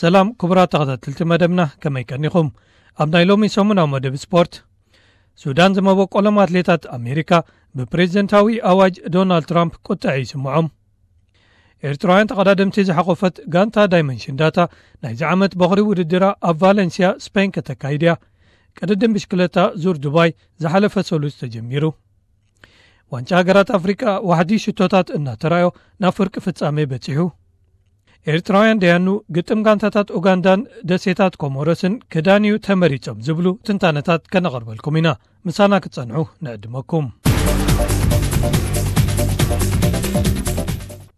ሰላም ክቡራት ተኸታተልቲ መደብና፣ ከመይ ቀኒኹም? ኣብ ናይ ሎሚ ሰሙናዊ መደብ ስፖርት፣ ሱዳን ዝመበቆሎም ኣትሌታት ኣሜሪካ ብፕሬዚደንታዊ ኣዋጅ ዶናልድ ትራምፕ ቁጥዐ ይስምዖም። ኤርትራውያን ተቐዳደምቲ ዝሓቆፈት ጋንታ ዳይመንሽን ዳታ ናይዚ ዓመት በኹሪ ውድድራ ኣብ ቫለንሲያ ስፔን ከተካይድ እያ። ቅድድም ብሽክለታ ዙር ዱባይ ዝሓለፈ ሰሉስ ተጀሚሩ። ዋንጫ ሃገራት ኣፍሪቃ ዋሕዲ ሽቶታት እናተራዮ ናብ ፍርቂ ፍጻሜ በጺሑ። ኤርትራውያን ደያኑ ግጥም ጋንታታት ኡጋንዳን ደሴታት ኮሞሮስን ክዳንዩ ተመሪጾም ዝብሉ ትንታነታት ከነቐርበልኩም ኢና። ምሳና ክትጸንሑ ንዕድመኩም።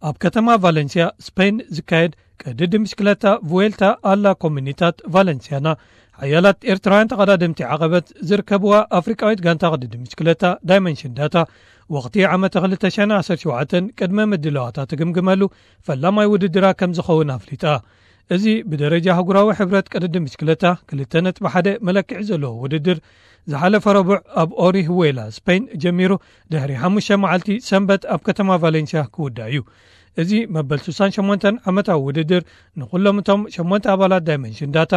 ኣብ ከተማ ቫለንሲያ ስፔን ዝካየድ ቅድድም ብሽክለታ ቭዌልታ ኣላ ኮሚኒታት ቫለንሲያና ሓያላት ኤርትራውያን ተቐዳደምቲ ዓቐበት ዝርከብዋ ኣፍሪቃዊት ጋንታ ቅድድም ብሽክለታ ዳይመንሽን ዳታ ወቕቲ ዓመተ ክልተ ሽሕን ዓሰርተ ሸውዓተን ቅድመ ምድላዋታ ትግምግመሉ ፈላማይ ውድድራ ከም ዝኸውን ኣፍሊጣ። እዚ ብደረጃ ኣህጉራዊ ሕብረት ቅድድም ብሽክለታ ክልተ ነጥቢ ሓደ መለክዒ ዘለዎ ውድድር ዝሓለፈ ረቡዕ ኣብ ኦሪሁዌላ ስፔን ጀሚሩ ድሕሪ ሓሙሽተ መዓልቲ ሰንበት ኣብ ከተማ ቫሌንሲያ ክውዳእ እዩ። እዚ መበል ስሳን ሸሞንተን ዓመታዊ ውድድር ንኹሎም እቶም ሸሞንተ ኣባላት ዳይመንሽን ዳታ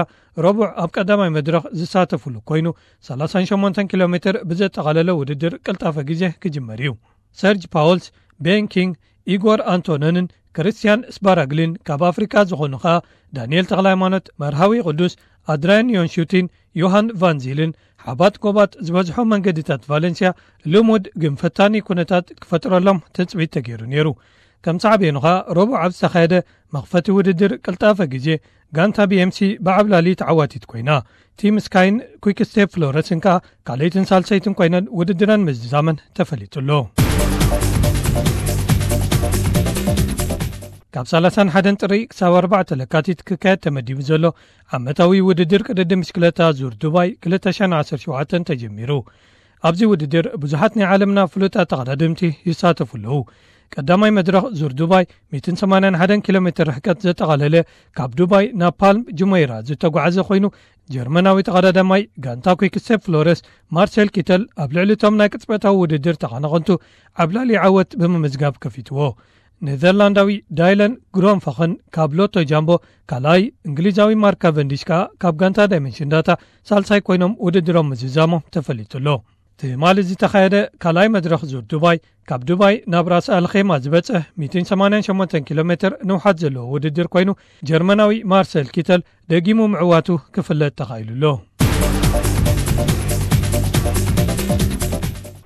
ረቡዕ ኣብ ቀዳማይ መድረኽ ዝሳተፉሉ ኮይኑ ሰላሳን ሸሞንተን ኪሎ ሜትር ብዘጠቓለለ ውድድር ቅልጣፈ ግዜ ክጅመር እዩ። ሰርጅ ፓውልስ፣ ቤን ኪንግ፣ ኢጎር ኣንቶነንን ክርስቲያን ስባራግሊን ካብ ኣፍሪካ ዝኾኑ ኸኣ ዳንኤል ተኽለ ሃይማኖት፣ መርሃዊ ቅዱስ፣ ኣድራያን ዮንሹቲን፣ ዮሃን ቫንዚልን ሓባት ጎባት ዝበዝሖ መንገድታት ቫለንሲያ ልሙድ ግን ፈታኒ ኩነታት ክፈጥረሎም ትጽቢት ተገይሩ ነይሩ። ከም ሳዕቤኑ ኸኣ ረቡዕ ኣብ ዝተኻየደ መኽፈቲ ውድድር ቅልጣፈ ግዜ ጋንታ ቢኤምሲ ብዓብላሊ ተዓዋቲት ኮይና። ቲም ስካይን ኩክ ስቴፕ ፍሎረስን ከኣ ካልኣይትን ሳልሰይትን ኮይነን ውድድረን ምዝዛመን ተፈሊጡ ኣሎ። ካብ ሰላሳን ሓደን ጥሪ ክሳብ ኣርባዕተ ለካቲት ክካየድ ተመዲቡ ዘሎ ዓመታዊ ውድድር ቅድድም ብሽክለታ ዙር ዱባይ ክልተ ሽሕን ዓሰርተ ሸውዓተን ተጀሚሩ። ኣብዚ ውድድር ብዙሓት ናይ ዓለምና ፍሉጣት ተቐዳደምቲ ይሳተፉ ኣለዉ። ቀዳማይ መድረኽ ዙር ዱባይ ሚእትን ሰማንያን ሓደን ኪሎ ሜትር ርሕቀት ዘጠቓለለ ካብ ዱባይ ናብ ፓልም ጁመይራ ዝተጓዓዘ ኮይኑ፣ ጀርመናዊ ተቐዳዳማይ ጋንታ ኩክ ስቴፕ ፍሎረስ ማርሴል ኪተል ኣብ ልዕሊ እቶም ናይ ቅጽበታዊ ውድድር ተቐናቐንቱ ዓብላሊ ዓወት ብምምዝጋብ ከፊትዎ። ኔዘርላንዳዊ ዳይለን ግሮንፈኽን ካብ ሎቶ ጃምቦ ካልኣይ፣ እንግሊዛዊ ማርክ ካቨንዲሽ ከኣ ካብ ጋንታ ዳይመንሽን ዳታ ሳልሳይ ኮይኖም ውድድሮም ምዝዛሞም ተፈሊጡ ኣሎ። ትማሊ ዝተኻየደ ካልኣይ መድረኽ ዙር ዱባይ፣ ካብ ዱባይ ናብ ራስ ኣልኼማ ዝበጽሕ ሚእትን ሰማንያን ሸሞንተን ኪሎ ሜትር ንውሓት ዘለዎ ውድድር ኮይኑ፣ ጀርመናዊ ማርሰል ኪተል ደጊሙ ምዕዋቱ ክፍለጥ ተኻኢሉ ኣሎ።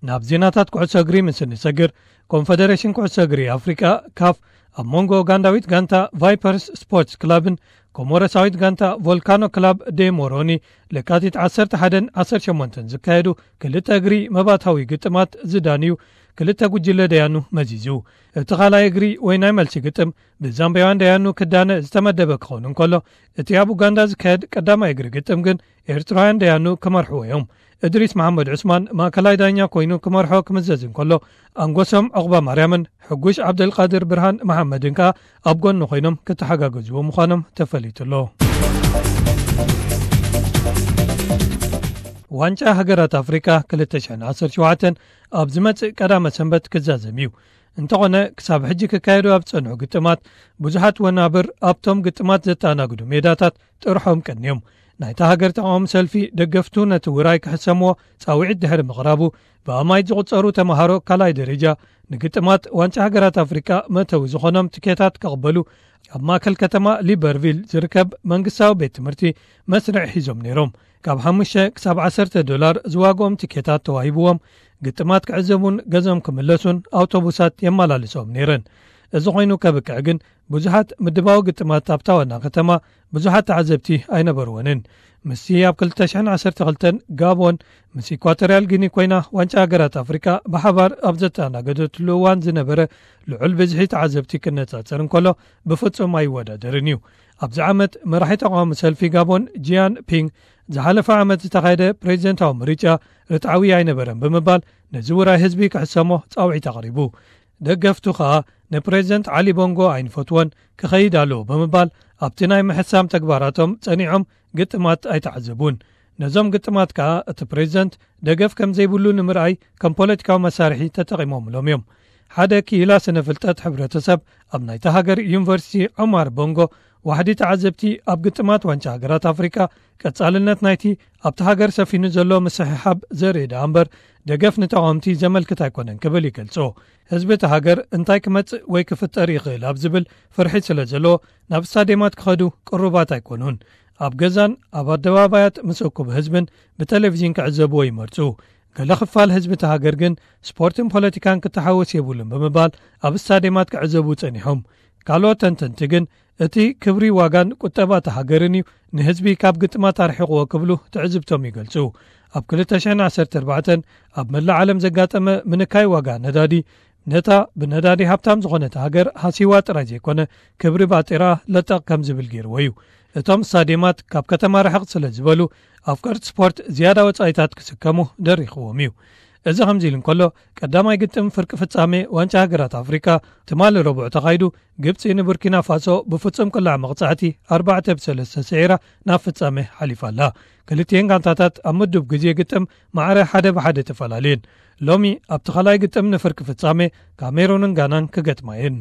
ናብ ዜናታት ኩዕሶ እግሪ ምስ እንሰግር፣ ኮንፈደሬሽን ኩዕሶ እግሪ ኣፍሪቃ፣ ካፍ፣ ኣብ መንጎ ኡጋንዳዊት ጋንታ ቫይፐርስ ስፖርትስ ክለብን ኮሞሮሳዊት ጋንታ ቮልካኖ ክለብ ዴ ሞሮኒ ለካቲት ዓሰርተ ሓደን ዓሰርተ ሸሞንተን ዝካየዱ ክልተ እግሪ መባታዊ ግጥማት ዝዳንዩ ክልተ ጉጅለ ደያኑ መዚዙ። እቲ ካልኣይ እግሪ ወይ ናይ መልሲ ግጥም ብዛምቢያውያን ደያኑ ክዳነ ዝተመደበ ክኸውን እንከሎ፣ እቲ ኣብ ኡጋንዳ ዝካየድ ቀዳማይ እግሪ ግጥም ግን ኤርትራውያን ደያኑ ክመርሕዎ እዮም። እድሪስ መሓመድ ዑስማን ማእከላይ ዳኛ ኮይኑ ክመርሖ ክምዘዝ እንከሎ፣ ኣንጎሶም ዑቕባ ማርያምን ሕጉሽ ዓብደልቃድር ብርሃን መሓመድን ከኣ ኣብ ጎኒ ኮይኖም ክተሓጋገዝዎ ምዃኖም ተፈሊጡ ኣሎ። ዋንጫ ሃገራት ኣፍሪቃ ክልተ ሽሕን ዓሰርተ ሸውዓተን ኣብ ዝመጽእ ቀዳመ ሰንበት ክዛዘም እዩ። እንተኾነ፣ ክሳብ ሕጂ ክካየዱ ኣብ ዝጸንሑ ግጥማት፣ ብዙሓት ወናብር ኣብቶም ግጥማት ዘተኣናግዱ ሜዳታት ጥርሖም ቀንዮም። ናይታ ሃገር ተቃዋሚ ሰልፊ ደገፍቱ ነቲ ውራይ ክሕሰምዎ ጻውዒት ድሕሪ ምቕራቡ፣ ብኣማይት ዝቑጸሩ ተመሃሮ ካልኣይ ደረጃ ንግጥማት ዋንጫ ሃገራት ኣፍሪቃ መእተዊ ዝኾኖም ትኬታት ክቕበሉ ኣብ ማእከል ከተማ ሊበርቪል ዝርከብ መንግስታዊ ቤት ትምህርቲ መስርዕ ሒዞም ነይሮም። ካብ ሓሙሽተ ክሳብ ዓሰርተ ዶላር ዝዋግኦም ትኬታት ተዋሂብዎም፣ ግጥማት ክዕዘቡን ገዝኦም ክምለሱን ኣውቶቡሳት የመላልሶም ነይረን። እዚ ኮይኑ ከብቅዕ ግን፣ ብዙሓት ምድባዊ ግጥማት ኣብታ ዋና ከተማ ብዙሓት ተዓዘብቲ ኣይነበርወንን። ምስቲ ኣብ ክልተ ሽሕን ዓሰርተ ክልተን ጋቦን ምስ ኢኳቶርያል ጊኒ ኮይና ዋንጫ ሃገራት ኣፍሪቃ ብሓባር ኣብ ዘተኣናገደትሉ እዋን ዝነበረ ልዑል ብዝሒ ተዓዘብቲ ክነጻጸር እንከሎ፣ ብፍጹም ኣይወዳደርን እዩ። ኣብዚ ዓመት መራሒ ተቃዋሚ ሰልፊ ጋቦን ጂያን ፒንግ፣ ዝሓለፈ ዓመት ዝተኻየደ ፕሬዚደንታዊ ምርጫ ርትዓዊ ኣይነበረን ብምባል፣ ነዚ ውራይ ህዝቢ ክሕሰሞ ጻውዒት ኣቕሪቡ። ደገፍቱ ከኣ ንፕሬዚደንት ዓሊ ቦንጎ ኣይንፈትዎን፣ ክኸይድ ኣለዎ ብምባል፣ ኣብቲ ናይ ምሕሳም ተግባራቶም ጸኒዖም ግጥማት ኣይተዓዘቡን። ነዞም ግጥማት ከኣ እቲ ፕሬዚደንት ደገፍ ከም ዘይብሉ ንምርኣይ ከም ፖለቲካዊ መሳርሒ ተጠቒሞምሎም እዮም። ሓደ ክኢላ ስነ ፍልጠት ሕብረተሰብ ኣብ ናይታ ሃገር ዩኒቨርሲቲ ዑማር ቦንጎ፣ ዋሕዲ ተዓዘብቲ ኣብ ግጥማት ዋንጫ ሃገራት ኣፍሪቃ ቀጻልነት ናይቲ ኣብቲ ሃገር ሰፊኑ ዘሎ ምስሕሓብ ዘርኢ ደኣ እምበር፣ ደገፍ ንተቓወምቲ ዘመልክት ኣይኮነን ክብል ይገልጾ። ህዝቢ እቲ ሃገር እንታይ ክመጽእ ወይ ክፍጠር ይኽእል ኣብ ዝብል ፍርሒ ስለ ዘሎ፣ ናብ ስታድየማት ክኸዱ ቅሩባት ኣይኮኑን። ኣብ ገዛን ኣብ ኣደባባያት ምስ እኩብ ህዝብን ብቴሌቪዥን ክዕዘብዎ ይመርጹ። ገለ ክፋል ህዝቢ እቲ ሃገር ግን ስፖርትን ፖለቲካን ክተሓወስ የብሉን ብምባል ኣብ ስታድየማት ክዕዘቡ ጸኒሖም። ካልኦት ተንተንቲ ግን እቲ ክብሪ ዋጋን ቁጠባ እቲ ሃገርን እዩ ንህዝቢ ካብ ግጥማት ኣርሒቕዎ ክብሉ ትዕዝብቶም ይገልጹ። ኣብ ክልተ ሽሕን ዓሰርተ ኣርባዕተን ኣብ መላእ ዓለም ዘጋጠመ ምንካይ ዋጋ ነዳዲ፣ ነታ ብነዳዲ ሃብታም ዝኾነት ሃገር ሃሲዋ ጥራይ ዘይኮነ፣ ክብሪ ባጤራ ለጠቕ ከም ዝብል ገይርዎ እዩ። እቶም ስታድየማት ካብ ከተማ ርሕቕ ስለ ዝበሉ፣ ኣፍቀርቲ ስፖርት ዝያዳ ወጻኢታት ክስከሙ ደሪኽዎም እዩ። እዚ ከምዚ ኢሉ እንከሎ፣ ቀዳማይ ግጥም ፍርቂ ፍጻሜ ዋንጫ ሃገራት ኣፍሪቃ ትማሊ ረቡዕ ተኻይዱ፣ ግብጺ ንቡርኪና ፋሶ ብፍጹም ቅላዕ መቕጻዕቲ ኣርባዕተ ብ ሰለስተ ስዒራ ናብ ፍጻሜ ሓሊፋ ኣላ። ክልቲኤን ጋንታታት ኣብ ምዱብ ግዜ ግጥም ማዕረ ሓደ ብሓደ ተፈላለየን። ሎሚ ኣብቲ ካልኣይ ግጥም ንፍርቂ ፍጻሜ ካሜሩንን ጋናን ክገጥማ እየን።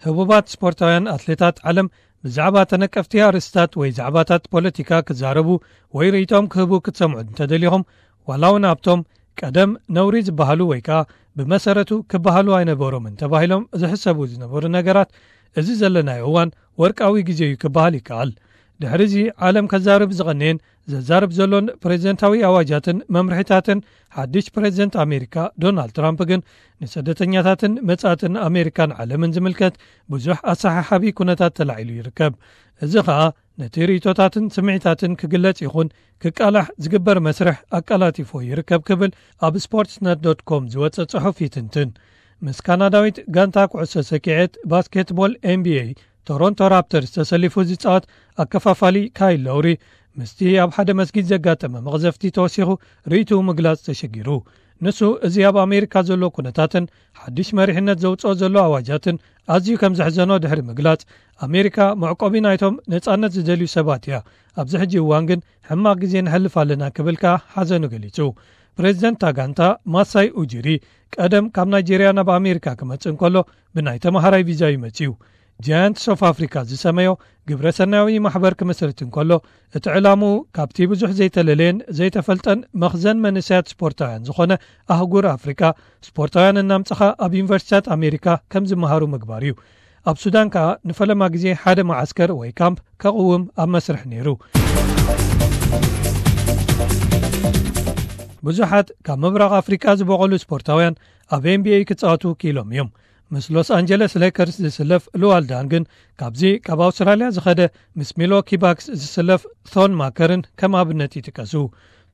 ህቡባት ስፖርታውያን ኣትሌታት ዓለም ብዛዕባ ተነቀፍቲ ኣርእስታት ወይ ዛዕባታት ፖለቲካ ክዛረቡ ወይ ርእይቶም ክህቡ ክትሰምዑ እንተደሊኹም፣ ዋላ እውን ኣብቶም ቀደም ነውሪ ዝበሃሉ ወይ ከኣ ብመሰረቱ ክበሃሉ ኣይነበሮምን ተባሂሎም ዝሕሰቡ ዝነበሩ ነገራት፣ እዚ ዘለናዮ እዋን ወርቃዊ ግዜ እዩ ክበሃል ይከኣል። ድሕሪ እዚ ዓለም ከዛርብ ዝቐነየን ዘዛርብ ዘሎን ፕሬዝደንታዊ ኣዋጃትን መምርሒታትን ሓድሽ ፕሬዝደንት ኣሜሪካ ዶናልድ ትራምፕ ግን፣ ንስደተኛታትን መጻእትን ኣሜሪካን ዓለምን ዝምልከት ብዙሕ ኣሰሓሓቢ ኩነታት ተላዒሉ ይርከብ። እዚ ኸኣ ነቲ ርእይቶታትን ስምዒታትን ክግለጽ ይኹን ክቃላሕ ዝግበር መስርሕ ኣቀላጢፎ ይርከብ ክብል ኣብ ስፖርትስነት ዶት ኮም ዝወጸ ጽሑፍ ይትንትን። ምስ ካናዳዊት ጋንታ ኩዕሶ ሰኪዔት ባስኬትቦል ኤን ቢ ኤ ቶሮንቶ ራፕተርስ ተሰሊፉ ዝጻወት ኣከፋፋሊ ካይል ሎውሪ፣ ምስቲ ኣብ ሓደ መስጊድ ዘጋጠመ መቕዘፍቲ ተወሲኹ ርእይትኡ ምግላጽ ተሸጊሩ። ንሱ፣ እዚ ኣብ ኣሜሪካ ዘሎ ኩነታትን ሓድሽ መሪሕነት ዘውጽኦ ዘሎ ኣዋጃትን ኣዝዩ ከም ዘሕዘኖ ድሕሪ ምግላጽ፣ ኣሜሪካ መዕቆቢ ናይቶም ነጻነት ዝደልዩ ሰባት እያ፣ ኣብዚ ሕጂ እዋን ግን ሕማቕ ግዜ ነሕልፍ ኣለና ክብል ከኣ ሓዘኑ ገሊጹ። ፕሬዝደንት እታ ጋንታ ማሳይ ኡጂሪ፣ ቀደም ካብ ናይጄርያ ናብ ኣሜሪካ ክመጽእ እንከሎ ብናይ ተማሃራይ ቪዛ እዩ መጺኡ። ጃያንትስ ኦፍ ኣፍሪካ ዝሰመዮ ግብረ ሰናያዊ ማሕበር ክምስርት እንከሎ፣ እቲ ዕላምኡ ካብቲ ብዙሕ ዘይተለለየን ዘይተፈልጠን መኽዘን መንእሰያት ስፖርታውያን ዝኾነ ኣህጉር ኣፍሪካ፣ ስፖርታውያን እናምጽኻ ኣብ ዩኒቨርሲቲታት ኣሜሪካ ከም ዝመሃሩ ምግባር እዩ። ኣብ ሱዳን ከኣ ንፈለማ ግዜ ሓደ መዓስከር ወይ ካምፕ ከቕውም ኣብ መስርሕ ነይሩ። ብዙሓት ካብ ምብራቕ ኣፍሪቃ ዝበቖሉ ስፖርታውያን ኣብ ኤን ቢ ኤ ክጻወቱ ክኢሎም እዮም። ምስ ሎስ ኣንጀለስ ሌከርስ ዝስለፍ ሉዋል ዳንግ ግን፣ ካብዚ ካብ ኣውስትራልያ ዝኸደ ምስ ሚልዎኪ ባክስ ዝስለፍ ቶን ማከርን ከም ኣብነት ይጥቀሱ።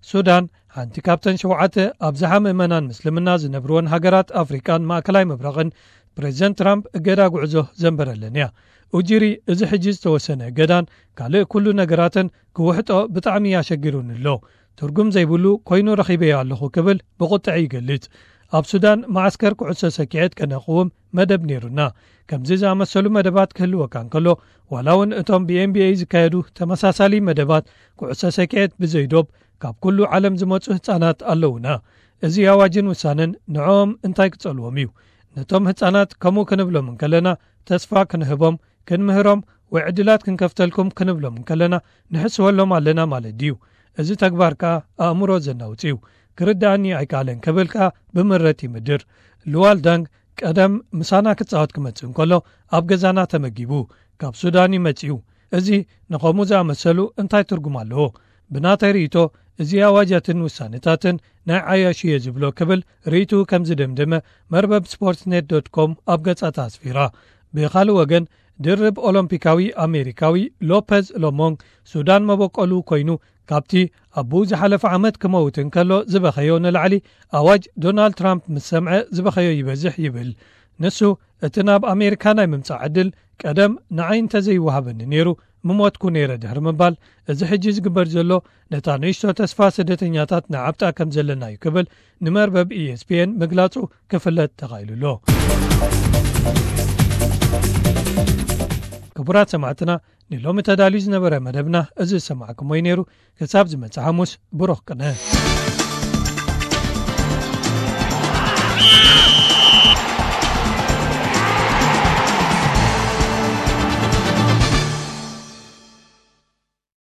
ሱዳን፣ ሓንቲ ካብተን ሸውዓተ ኣብዝሓ ምእመናን ምስልምና ዝነብርወን ሃገራት ኣፍሪቃን ማእከላይ ምብራቕን፣ ፕሬዝደንት ትራምፕ እገዳ ጉዕዞ ዘንበረለን እያ። ኡጂሪ፣ እዚ ሕጂ ዝተወሰነ እገዳን ካልእ ኩሉ ነገራትን ክውሕጦ ብጣዕሚ ኣሸጊሩኒ ኣሎ። ትርጉም ዘይብሉ ኮይኑ ረኺበዮ ኣለኹ ክብል ብቁጥዐ ይገልጽ። ኣብ ሱዳን መዓስከር ኩዕሶ ሰኪዔት ከነቕውም መደብ ነይሩና። ከምዚ ዝኣመሰሉ መደባት ክህልወካ እንከሎ፣ ዋላ እውን እቶም ብ ኤን ቢ ኤ ዝካየዱ ተመሳሳሊ መደባት ኩዕሶ ሰኪዔት ብዘይዶብ ካብ ኩሉ ዓለም ዝመጹ ህጻናት ኣለዉና። እዚ ኣዋጅን ውሳነን ንዕኦም እንታይ ክጸልዎም እዩ? ነቶም ህጻናት ከምኡ ክንብሎም እንከለና፣ ተስፋ ክንህቦም፣ ክንምህሮም ወይ ዕድላት ክንከፍተልኩም ክንብሎም እንከለና፣ ንሕስወሎም ኣለና ማለት ድዩ? እዚ ተግባር ከኣ ኣእምሮ ዘናውጽ እዩ። ክርድኣኒ ኣይከኣለን ክብል ከኣ ብምረት ይምድር። ሉዋል ዳንግ ቀደም ምሳና ክጻወት ክመጽእ እንከሎ ኣብ ገዛና ተመጊቡ ካብ ሱዳን እዩ መጺኡ። እዚ ንኸምኡ ዝኣመሰሉ እንታይ ትርጉም ኣለዎ? ብናተይ ርእይቶ፣ እዚ ኣዋጃትን ውሳነታትን ናይ ዓያሹ እየ ዝብሎ ክብል ርእይትኡ ከም ዝደምደመ መርበብ ስፖርትስ ኔት ዶት ኮም ኣብ ገጻታ ኣስፊራ። ብኻልእ ወገን፣ ድርብ ኦሎምፒካዊ ኣሜሪካዊ ሎፐዝ ሎሞንግ ሱዳን መበቆሉ ኮይኑ፣ ካብቲ ኣቦኡ ዝሓለፈ ዓመት ክመውት እንከሎ ዝበኸዮ ንላዕሊ ኣዋጅ ዶናልድ ትራምፕ ምስ ሰምዐ ዝበኸዮ ይበዝሕ ይብል። ንሱ፣ እቲ ናብ ኣሜሪካ ናይ ምምጻእ ዕድል ቀደም ንዓይ እንተዘይወሃበኒ ነይሩ፣ ምሞትኩ ነይረ ድሕሪ ምባል፣ እዚ ሕጂ ዝግበር ዘሎ ነታ ንእሽቶ ተስፋ ስደተኛታት ንዓብጣ ከም ዘለና እዩ ክብል ንመርበብ ኢ ኤስ ፒ ኤን ምግላጹ ክፍለጥ ተኻኢሉ ኣሎ። ክቡራት ሰማዕትና፣ ንሎሚ ተዳልዩ ዝነበረ መደብና እዚ ዝሰማዕኩሞ እዩ ነይሩ። ክሳብ ዝመጽእ ሓሙስ፣ ብሩኽ ቅነ።